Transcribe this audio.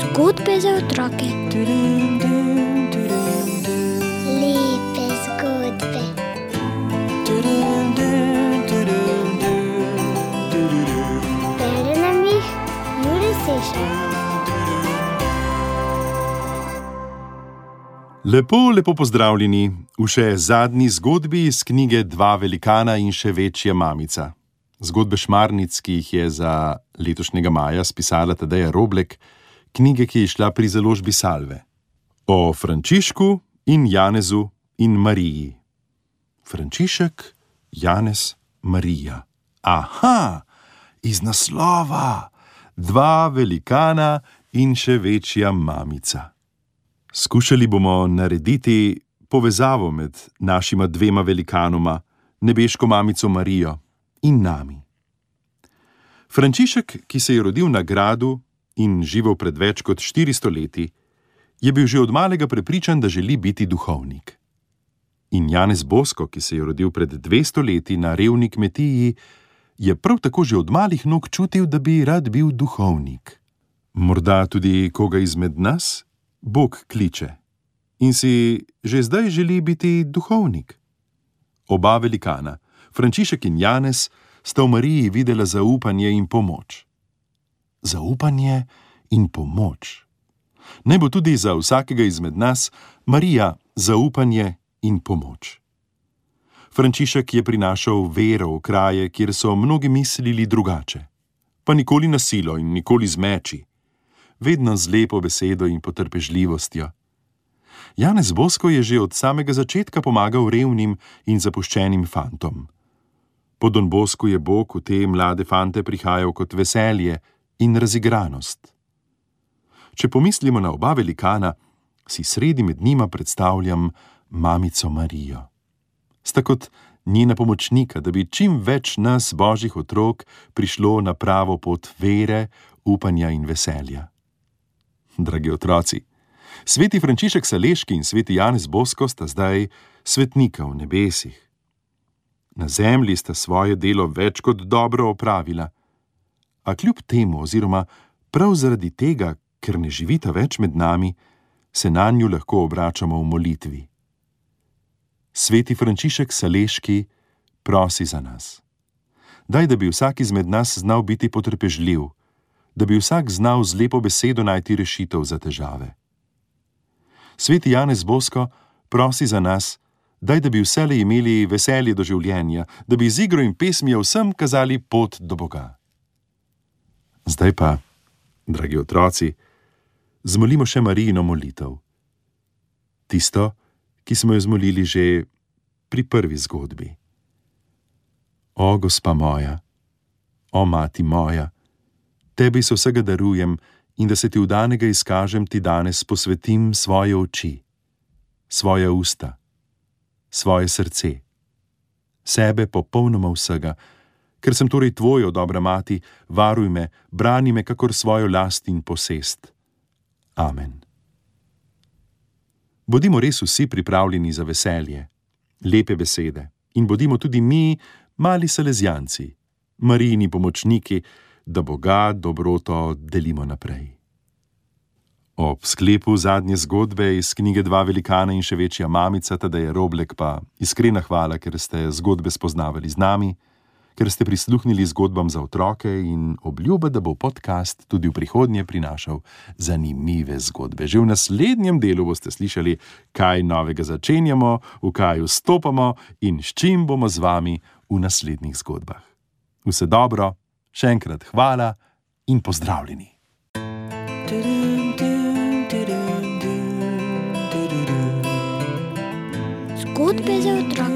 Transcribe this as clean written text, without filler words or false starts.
Zgodbe za otroke. Lepe zgodbe. Bere nam jih Jure Sešar. Lepo pozdravljeni v še zadnji zgodbi iz knjige Dva velikana in še večja mamica. Zgodbe Šmarnic, ki jih je za letošnjega maja spisala Tadeja Roblek, knjige, ki je izšla pri založbi Salve. O Frančišku in Janezu in Mariji. Frančišek, Janez, Marija. Aha, iz naslova! Dva velikana in še večja mamica. Skušali bomo narediti povezavo med našima dvema velikanoma, nebeško mamico Marijo in nami. Frančišek, ki se je rodil na gradu in živel pred več kot 400 leti, je bil že od malega prepričan, da želi biti duhovnik. In Janez Bosko, ki se je rodil pred 200 leti na revni kmetiji, je prav tako že od malih nog čutil, da bi rad bil duhovnik. Morda tudi koga izmed nas Bog kliče in si že zdaj želi biti duhovnik. Oba velikana, Frančišek in Janez, sta v Mariji videla zaupanje in pomoč. Zaupanje in pomoč. Naj bo tudi za vsakega izmed nas Marija zaupanje in pomoč. Frančišek je prinašal vero v kraje, kjer so mnogi mislili drugače, pa nikoli na silo in nikoli z meči, vedno z lepo besedo in potrpežljivostjo. Janez Bosko je že od samega začetka pomagal revnim in zapuščenim fantom. Po Don Bosku je Bog v te mlade fante prihajal kot veselje in razigranost. Če pomislimo na oba velikana, si sredi med njima predstavljam mamico Marijo. Sta kot njena pomočnika, da bi čim več nas, božjih otrok, prišlo na pravo pot vere, upanja in veselja. Dragi otroci, sveti Frančišek Saleški in sveti Janez Bosko sta zdaj svetnika v nebesih. Na zemlji sta svoje delo več kot dobro opravila, a kljub temu oziroma prav zaradi tega, ker ne živita več med nami, se nanju lahko obračamo v molitvi. Sveti Frančišek Saleški prosi za nas. Daj, da bi vsak izmed nas znal biti potrpežljiv, da bi vsak znal z lepo besedo najti rešitev za težave. Sveti Janez Bosko prosi za nas, daj, da bi vselej imeli veselje do življenja, da bi z igro in pesmijo vsem kazali pot do Boga. Zdaj pa, dragi otroci, zmolimo še Marijino molitev. Tisto, ki smo jo zmolili že pri prvi zgodbi. O, gospa moja, o, mati moja, tebi se vsega darujem in da se ti vdanega izkažem, ti danes posvetim svoje oči, svoja usta, svoje srce, sebe popolnoma vsega, ker sem torej tvojo, dobra mati, varuj me, brani me kakor svojo last in posest. Amen. Bodimo res vsi pripravljeni za veselje, lepe besede in bodimo tudi mi, mali salezjanci, Marijini pomočniki, da Boga dobroto delimo naprej. Ob sklepu zadnje zgodbe iz knjige Dva velikana in še večja mamica Tadeja Roblek pa iskrena hvala, ker ste zgodbe spoznavali z nami, ker ste prisluhnili zgodbam za otroke in obljuba, da bo podcast tudi v prihodnje prinašal zanimive zgodbe. Že v naslednjem delu boste slišali, kaj novega začenjamo, v kaj vstopamo in s čim bomo z vami v naslednjih zgodbah. Vse dobro, še enkrat hvala in pozdravljeni. Zgodbe za otroke.